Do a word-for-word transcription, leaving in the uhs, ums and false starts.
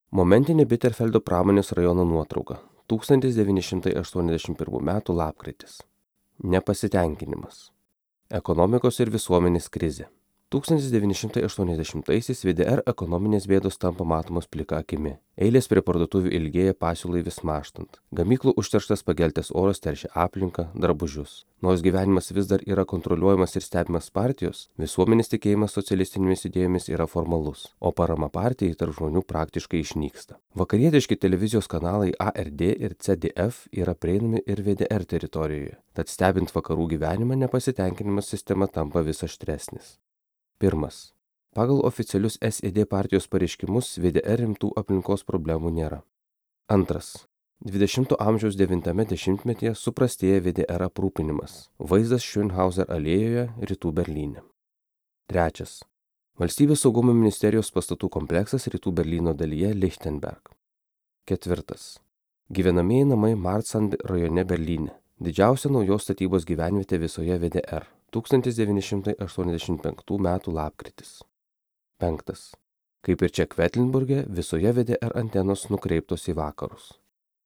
Momentinė Bitterfeldo pramonės rajono nuotrauka. tūkstantis devyni šimtai aštuoniasdešimt pirmų metų lapkritis. Nepasitenkinimas. Ekonomikos ir visuomenės krizė. tūkstantis devyni šimtai aštuoniasdešimtaisiais V D R ekonominės bėdos tampa matomos plika akimi. Eilės prie parduotuvių ilgėja pasiūlai vis mažtant. Gamyklų užterštas pageltęs oras teršia aplinką, drabužius. Nors gyvenimas vis dar yra kontroliuojamas ir stebimas partijos, visuomenės tikėjimas socialistinėmis idėjomis yra formalus, o parama partijai tarp žmonių praktiškai išnyksta. Vakarietiški televizijos kanalai A R D ir C D F yra prieinami ir V D R teritorijoje, tad stebint vakarų gyvenimą nepasitenkinimas sistema tampa vis aštresnis. Pirmas. Pagal oficialius S E D partijos pareiškimus V D R rimtų aplinkos problemų nėra. Antras. dvidešimto amžiaus devintame dešimtmetyje suprastėja V D R aprūpinimas. Vaizdas Schönhauser alėjoje, rytų Berlyne. Trečias. Valstybės saugumo ministerijos pastatų kompleksas rytų Berlyno dalyje Lichtenberg. Ketvirtas. Gyvenamieji namai Marzahn rajone Berlyne. Didžiausia naujos statybos gyvenvietė visoje V D R. tūkstantis devyni šimtai aštuoniasdešimt penktų metų lapkritis. Penktas. Kaip ir čia Kvetlinburge, visoje V D R antenos nukreiptos į vakarus.